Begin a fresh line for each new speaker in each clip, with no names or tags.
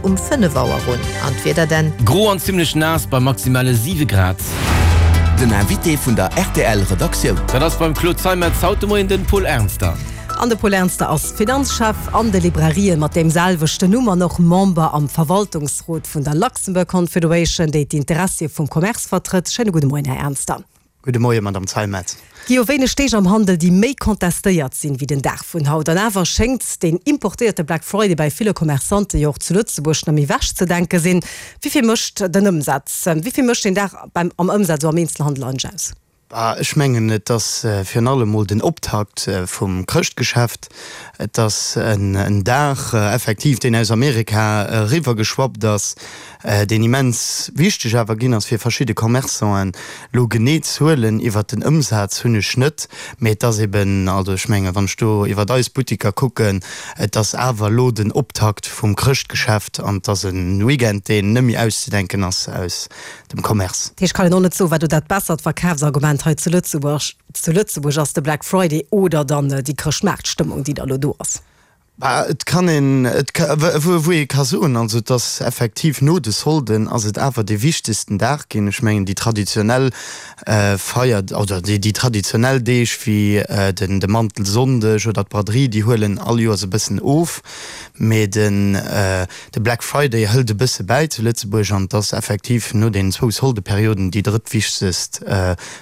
fänkt um 5 Auer un. An d'Wieder denn?
Gro an zimmlech naass bei maximale 7 Grad.
Den Invité vun der rtl Redaktioun.
Dat ass beim Claude Zeimetz haut de Moien den Paul Ernster.
An de Paul Ernster ass Finanzchef an de Librarië mat deem selwechten Numm an och Member am Verwaltungsrot vun der Luxembourg Confederation, déi d'Interessie vum Commerce vertrëtt. Schéine gudde Moien, Här Ernster.
Gudde Moien, Madame Zeimetz.
Gi jo wéineg Deeg am Handel, déi méi contestéiert sinn, wéi den Dag vun haut. An awer schéngt deen importéierte Black Friday bäi ville Commerçante jo och zu Lëtzebuerg net méi wechzedenke sinn. Wéi vill mécht den Ëmsaz, wéi vill mécht deen Dag beim am Ëmsaz esou am Eenzelhandel eigentlech aus?
Ech mengen, et ass virun allem mol den Optakt vum Chrëschtgeschäft. Et ass en Dag effektiv, deen aus Amerika eriwwergeschwappt ass, deen immens wichteg awer ginn ass fir verschidde Commerçanten. Elo genee Zuelen iwwert den Ëmsaz hunn ech net, mee et ass eben, also ech mengen, wann ech do iwwert eis Buttiker kucken, et ass awer elo den Optakt vum Chrëschtgeschäft an et ass e Weekend, deen net méi auszedenken ass aus dem Commerce.
Dat heescht, kann een och net soen, wat do dat bessert Verkafsargument hei zu Lëtzebuerg zu Lëtzebuerg ass, de Black Friday oder dann déi Chrëschtmaartstëmmung, déi da elo do ass?
Bah, et kann een, et ka, wou ee ka soen, also et ass effektiv no de Solden ass et awer dee wichtegsten Dag ginn. Ech mengen déi traditionell Feier oder déi traditionell Deeg wéi den de Mantelsonndeg oder d'Braderie, déi huelen all Joers e bëssen of, mee den De Black Friday hëlt e bësse bäi zu Lëtzebuerg an et ass effektiv no den zwou Soldeperioden déi drëttwichtegst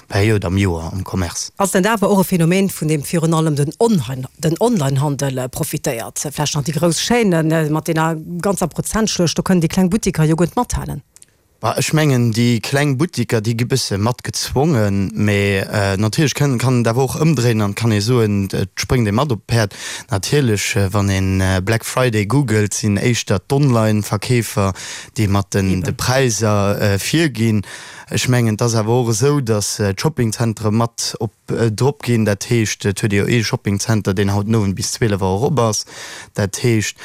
Period am Joer am Commerce.
Ass dat awer och e Phänomen, vun deem virun allem den Onlinehandel profitéiert? Vläicht nach déi grouss Chaînen mat deene ganzer Prozentschluecht, do kënnen déi kleng Buttiker jo guer net mathalen.
Bah, ech mengen, déi kleng Buttiker, déi gi bësse mat gezwongen, mä natierlech kann kann et awer och ëmdréinen an et kann ee soen, et spréngt ee mat op d'Päerd. Natierlech, wann ee Black Friday googelt, sinn éischter d'Online-Verkeefer, déi mat den de Präisser virginn. Ech mengen, et ass awer och esou, datt d'Shoppingzentere mat op drop ginn. Dat heescht, et huet ee jo ee Shoppingzenter, deen haut den Owend bis 12 Auer op ass. Dat heescht,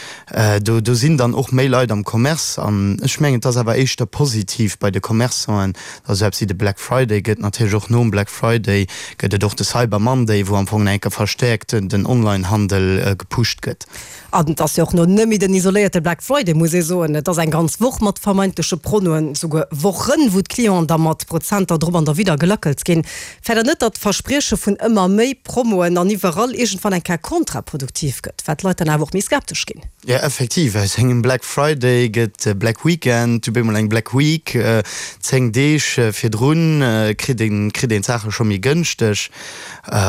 do do sinn dann och méi Leit am Commerce. An ech mengen, et ass awer éischter positiv bei de Commerçanten, datt esou eppes wéi de Black Friday gëtt. Natierlech och nom Black Friday gëtt et och de Cyber Monday, wou am Fong nach eng Kéier verstäerkt den Onlinehandel gepusht gëtt.
An et ass jo och no nëmme den isoléierte Black Friday, muss ee soen. Et ass eng ganz Woch mat vermeintleche Pronoen, souguer Wochen, wou d'Clienten da mat Prozenter drop an derwidder gelackelt ginn. Fäert Der net, datt d'Versprieche vun ëmmer méi Promoen an iwwerall iergendwann eng Kéier kontraproduktiv gëtt, well d'Leit dann awer och méi skeptesch ginn?
Jo, effektiv, aus engem Black Friday gëtt e Black Weekend, du bemol eng Black Week. 10 Deeg virdrun kritt een kritt een d'Saache scho méi gënschteg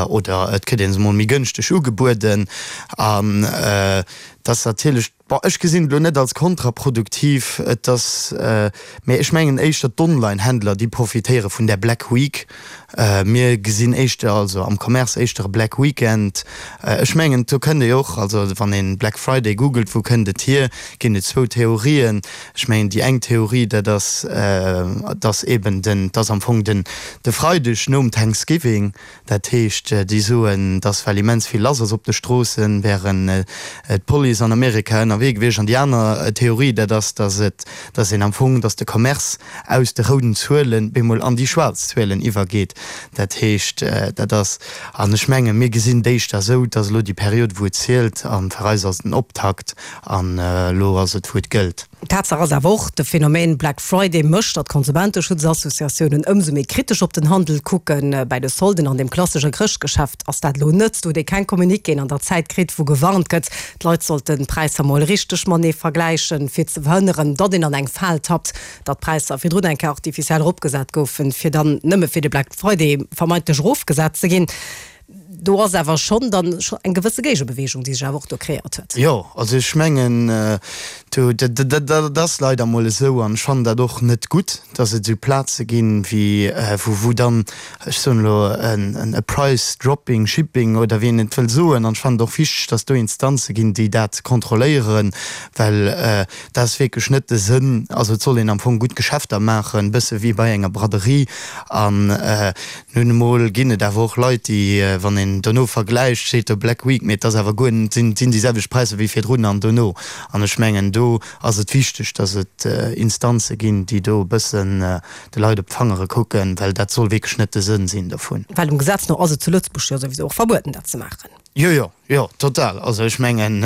oder et kritt ee se mol méi gënschteg ugebueden. An et ass natierlech, bon, ech gesinn et elo net als kontraproduktiv, et ass, mee ech mengen éischter d'Online-Händler, déi profitéiere vun där Black Week. Mir gesinn éischter, also am Commerce éischter e Black Weekend. Ech mengen, do kënnt ee och, also wann ee Black Friday googelt, wou kënnt et hier, ginn et zwou Theorien. Ech mengen, déi eng Theorie, dat ass, dass eben den, dass am Fong den de Freideg nom Thanksgiving, Dat heescht, déi soen, dass well immens vill lass ass op de Stroossen, wären d'Police an Amerika ënnerwee gewiescht. An déi aner Theorie, dat ass, dass et, dass een am Fong, dass de Commerce aus de rouden Zuelen bemol an déi schwaarz Zuelen iwwergeet. Dat heescht, dat ass, an ech mengen, mir gesinn d'éischter esou, dass elo déi Period, wou et zielt, a fir eis ass et den Optakt an elo ass et, wou et gëllt.
Tatsaach ass awer och, de Phänomen Black Friday mécht, datt d'Konsumenteschutzassociatiounen ëmsou méi kritesch op den Handel kucken. Bäi de Solden an dem klassesche Chrëschtgeschäft ass dat elo net. Do huet ee keng Communiquéen an der Zäit kritt, wou gewarnt gëtt, d'Leit sollten d'Präisser mol richteg matenee vergläichen, fir ze verhënneren, datt een an eng Fal tappt, datt d'Präisser virdrun eng Kéier artificiell eropgesat goufen, fir dann nëmme fir de Black Friday vermeintlech erofgesat ze ginn. Do ass awer schonn dann eng gewësse Géigebewegung, déi sech awer och do kreéiert huet.
Jo, also ech mengen, do, dat ass leider emol esou an ech fannen dat och net gutt, dass et esou Plaze ginn, wéi, wou, wou dann, ech soen elo, e Price dropping, shipping oder wéi een et wëll soen. An ech fannen et och wichteg, dass do Instanze ginn, déi dat kontrolléieren, well dat ass wierklech net de Sënn. Also et soll een am Fong gutt Geschäfter maachen, e bësse wéi bei enger Braderie an Nun emol ginn et awer och Leit, déi, wann een dono vergläicht, steet do Black Week, mee et ass awer guer net, sinn sinn déi selwecht Präisser wéi virdrun an dono. An ech mengen, do ass et wichteg, datt et Instanze ginn, déi do e bëssen de Leit op d'Fangere kucken, well dat soll wierklech net de Sënn sinn dovun.
Well dem Gesetz no ass et zu Lëtzebuerg jo souwisou och verbueden, dat ze maachen.
Jo, jo, jo, total. Also ech mengen,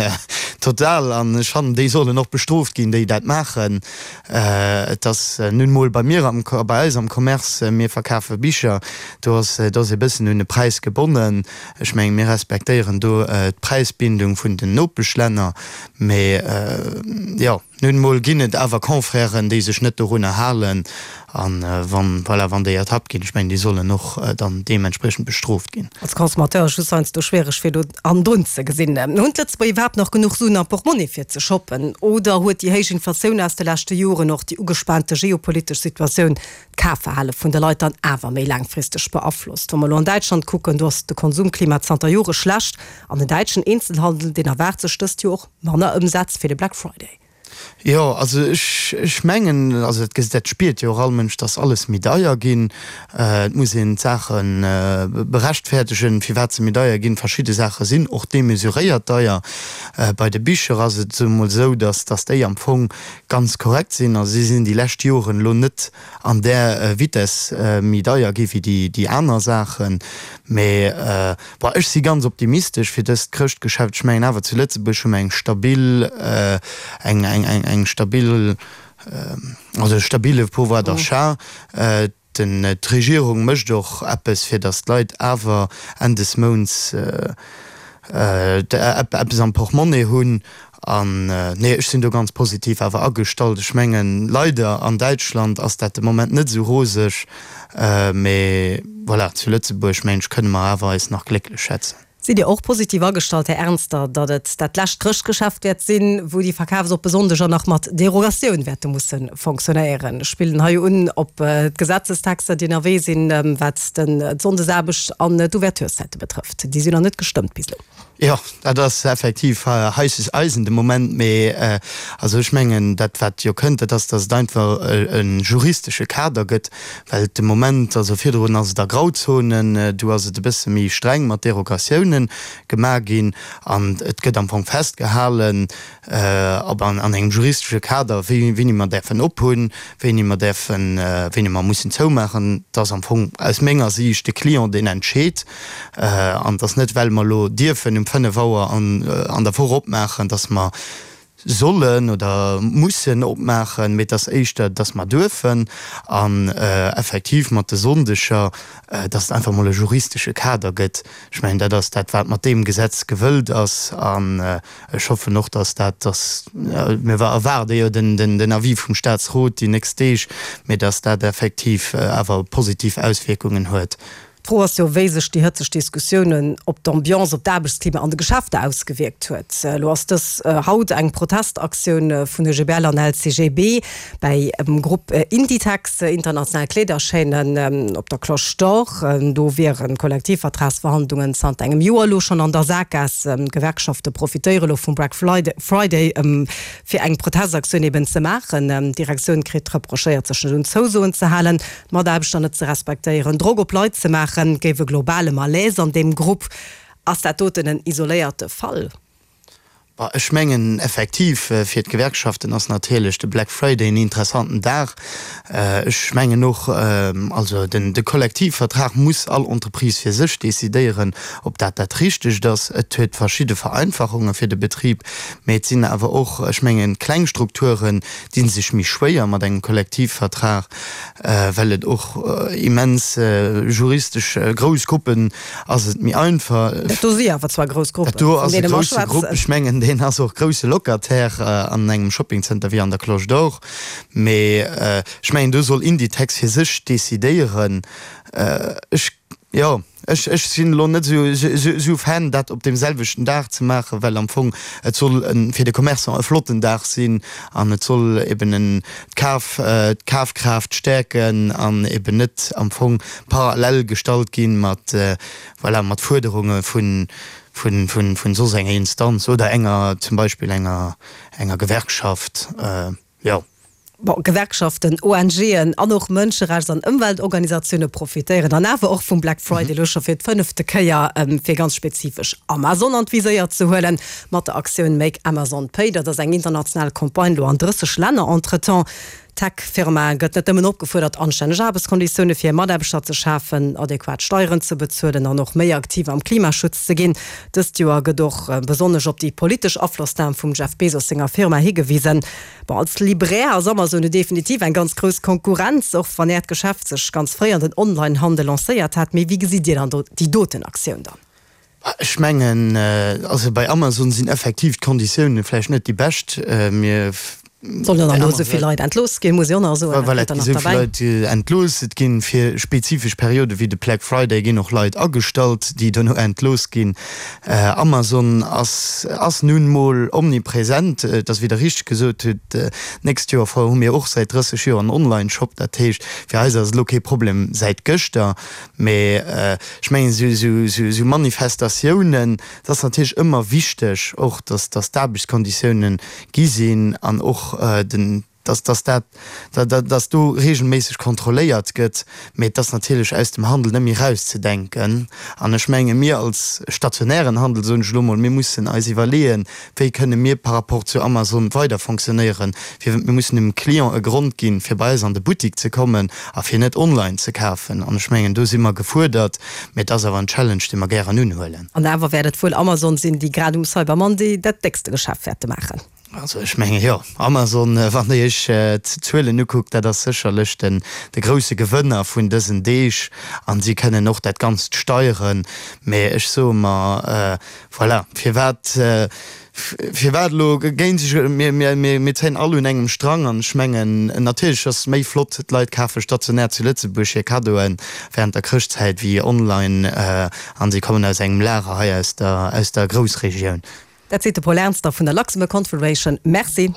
total. An ech fannen, déi sollen och bestrooft ginn, déi dat maachen. Et ass nun emol bei mir am, bei eis am Commerce, mir verkafe Bicher, do ass, do ass e bëssen un de Präis gebonnen. Ech mengen, mir respektéieren do d'Präisbindung vun den Nopeschlänner. Mee jo. Nun emol ginn et awer Confrèren, déi sech net dorunner halen, an wann, voilà, wann déi ertappt ginn, ech mengen, déi sollen och dann deementspriechend bestrooft ginn.
Als Consommateur ass just heiansdo schwiereg fir do hannendrun ze gesinn. Hunn d'Lëtzebuerger iwwerhaapt nach genuch Suen am Portmonni fir ze shoppen? Oder huet déi héich Inflatioun aus de leschte Joren, och déi ugespaante geopolitesch Situatioun d'Kafverhale vun de Leit dann awer méi laangfristeg beaflosst? Wa mer elo an Däitschland kucken, do ass de Konsumklima zanter Jore schlecht an den däitschen Eenzelhandel, deen erwaart sech dëst Joer och Manner Ëmsätz fir de Black Friday.
Jo, also ech, ech mengen, also dat gesi, dat spiert jo och all Mënsch, dass alles méi deier ginn. Et muss een d'Saache berechtfäertegen, firwat se méi deier ginn. Verschidde Saache sinn och demesuréiert deier. Bei de Bicher ass et emol esou, dass, dass déi am Fong ganz korrekt sinn. Also si sinn déi lescht Joren elo net an där Vitess méi deier gi wéi déi, déi aner Saachen. Mee Bon, ech si ganz optimistesch fir dëst Chrëschtgeschäft. Ech mengen awer, zu Lëtzebuerg hu mer eng stabil, eng, eng, eng, eng stabil, also e stabile Pouvoir d'achat. Den, d'Regierung mécht och eppes, fir datt d'Leit awer Enn des Mounts eppes am Portmonnaie hunn. An, nee, ech sinn do ganz positiv awer agestallt. Ech mengen, leider an Däitschland ass dat de Moment net esou roseg, mee voilà, zu Lëtzebuerg, mengen ech, kënne mer awer eis nach glécklech schätzen.
Sidd Dir och positiv agestallt, Här Ernster, datt et dat lescht Chrëschtgeschäft wäert sinn, wou déi verkafsoppe Sonndeger nach mat Derogatioun wäerte musse fonctionnéieren? Ech spillen hei un op d'Gesetzestexter, déi ënnerwee sinn, wat d'Sonndesaarbecht an d'Ouvertureszäite betrëfft. Déi sinn nach net gestëmmt bis elo.
Jo, dat ass effektiv heisses Eisen de Moment. Mee also ech mengen, dat wat jo kënnt, dat ass, datt et einfach e juristesche Kader gëtt, well de Moment, also virdrun ass et a Grauzonen, do ass et e bësse méi streng mat Derogatiounen gemaach ginn an et gëtt am Fong festgehalen, Ob an engem juristesche Kader, wéini mer däerfen ophunn, wéini mer däerfen, wéini mer mussen zoumaachen, et ass am Fong aus menger Siicht de Client, deen entscheet. An et ass net, well mer elo dierfen um 5 Auer an der Woch opmaachen, datt mer sollen oder mussen opmaachen, mee et ass éischter, datt mer duerfen. An effektiv mat de Sonndeger, datt et einfach emol e juristesche Kader gëtt. Ech mengen, dat ass dat, wat mat deem Gesetz gewëllt ass. An ech hoffen och, dass dat, dass, mir erwaarde jo den Avis vum Statsrot déi nächst Deeg, mee dass dat effektiv awer positiv Auswierkungen huet.
D'Fro ass jo, wéi sech déi hëtzeg Diskussiounen op d'Ambiance, op d'Aarbechtsklima an de Geschäfter ausgewierkt huet. Elo ass dës haut eng Protestaktioun vun OGBL an LCGB bäi Grupp Inditex, international Kleederchaîne, op der Cloche d'Or. Do wieren d'Kollektivvertragsverhandlungen zanter engem Joer elo schonn an der Sakgaass. D'Gewerkschafte profitéiere elo vum Black Friday, fir eng Protestaktioun eben ze maachen. D'Direktioun kritt reprochéiert, sech net un Zousoen ze halen, d'Mataarbechter net ze respektéieren, Drock op Leit ze maachen. Et géif e globale Malaise an deem Grupp. Ass dat doten en isoléierte Fall?
Bah, ech mengen effektiv, fir d'Gewerkschaften ass natierlech de Black Friday en interessanten Dag. Ech mengen och, also den, de Kollektivvertrag muss all Entreprise fir sech decidéieren, ob dat dat Richtegt ass. Et huet verschidde Vereinfachunge fir de Betrib, mä et sinn awer och, ech mengen, kleng Strukturen di sech méi schwéier mat engem Kollektivvertrag, well et och immens juristesch grouss Gruppen Ass et méi einfach.
Dat do si awer zwar grouss Gruppen,
Dat do ass e grousse Grupp. Ech mengen, deen ass och grousse Locataire an engem Shoppingcenter wéi an der Cloche d'Or. Mee ech mengen, do soll Inditex fir sech decidéieren. Ech, jo, ech, ech sinn elo net esou Fan, dat op deem selwechten Dag ze maachen, well am Fong et soll fir de Commerçant e flotten Dag sinn an et soll eben en d'Kaf, d'Kafkraaft stäerken an eben net am Fong parallel gestallt ginn mat, voilà, mat Fuerderunge vun, vun, vun, vun soss enger Instanz oder enger, zum Beispill enger, enger Gewerkschaft, jo.
Bon, Gewerkschaften, ONGen an och Mënscherechts an Ëmweltorganisatioune profitéieren dann awer och vum Black Friday, elo scho fir d'fënnefte Kéier, fir ganz spezifesch Amazon an d'Viséier ze huelen, mat der Aktioun Make Amazon Pay. Dat ass eng international Campagne, elo an 30 Länner entretemps. D'Tech-Firma gëtt net nëmmen opgefuerdert, anstänneg Aarbechtskonditioune fir hir Mataarbechter ze schafen, adequat Steieren ze bezuelen an och méi aktiv am Klimaschutz ze ginn. Dëst Joer gëtt och besonnesch op déi politesch Aflossnam vum Jeff Bezos senger Firma higewisen. Bon, als Libraire ass Amazon jo definitiv eng ganz grouss Konkurrenz, och wann Äert Geschäft sech ganz fréi an den Online-Handel lancéiert hat. Mee wéi gesitt Dir dann do déi doten Aktioun dann?
Ech mengen, also bei Amazon sinn effektiv d'Konditiounen vläicht net déi bescht. Mir.
Sollen dann elo esou vill Leit entlooss ginn, muss ech och nach soen.
Voilà, et gi esou vill Leit entlooss. Et ginn fir spezifesch Periode wéi de Black Friday ginn och Leit agestallt, déi dono entlooss ginn. Amazon ass ass nun mol omnipresent. Et ass, wéi Der richteg gesot hutt, d'nächst Joer hu mir och säit 30 Joer en Online-Shop. Dat heescht, fir eis ass et elo kee Problem säit gëschter. Mee ech mengen, esou Manifestatiounen, et ass natierlech ëmmer wichteg och, datt d'Aarbechtskonditiounen gi sinn an och den, datt dat, datt do reegelméisseg kontrolléiert gëtt. Mee et ass natierlech aus dem Handel net méi erauszedenken. An ech menge mir als stationären Handel, soen ech elo mol, mir mussen eis iwwerleeën, Wéi kënne mir par rapport zu Amazon weider fonctionnéieren? Fir mir mussen dem Client e Grond ginn, fir bei eis an de Buttik ze kommen a fir net online ze kafen. An ech mengen, do si mer gefuerdert, mee et ass awer en Challenge, dee mer gären unhuelen.
An awer wäert et wuel Amazon sinn, déi grad um Cyber Monday dat déckste Geschäft wäerte maachen.
Also ech menge jo, Amazon, wann Der Iech d'Zuelen ukuckt, dat ass sécherlech den de grousse Gewënner vun dësen Deeg an si kënnen och dat Ganzt steieren. Mee ech soe mer, Voilà, firwat, firwat elo géint sech, mir, mir, mir, mir zéien all un engem Strang an ech mengen, natierlech ass et méi flott, d'Leit kafe stationär zu Lëtzebuerg hir Kaddoe während der Chrëschtzäit wéi online an si kommen aus engem Lager hei aus der, aus der Groussregioun.
Dat seet de Paul Ernster vun der Luxembourg Confederation. Merci.